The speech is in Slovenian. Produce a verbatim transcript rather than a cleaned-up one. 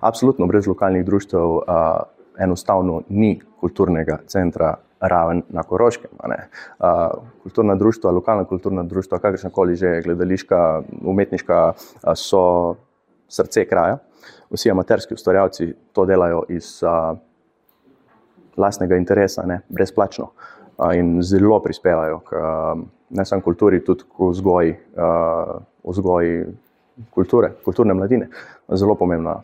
Absolutno, brez lokalnih društev uh, enostavno ni kulturnega centra Raven na Koroškem. A ne? Uh, kulturna društva, lokalna kulturna društva, kakršnakoli že gledališka, umetniška, uh, so srce kraja. Vsi amaterski ustvarjalci to delajo iz uh, lastnega interesa, ne? Brezplačno. Uh, in zelo prispevajo k uh, ne samo kulturi, tudi k vzgoji, uh, vzgoji kulture, kulturne mladine. Zelo pomembna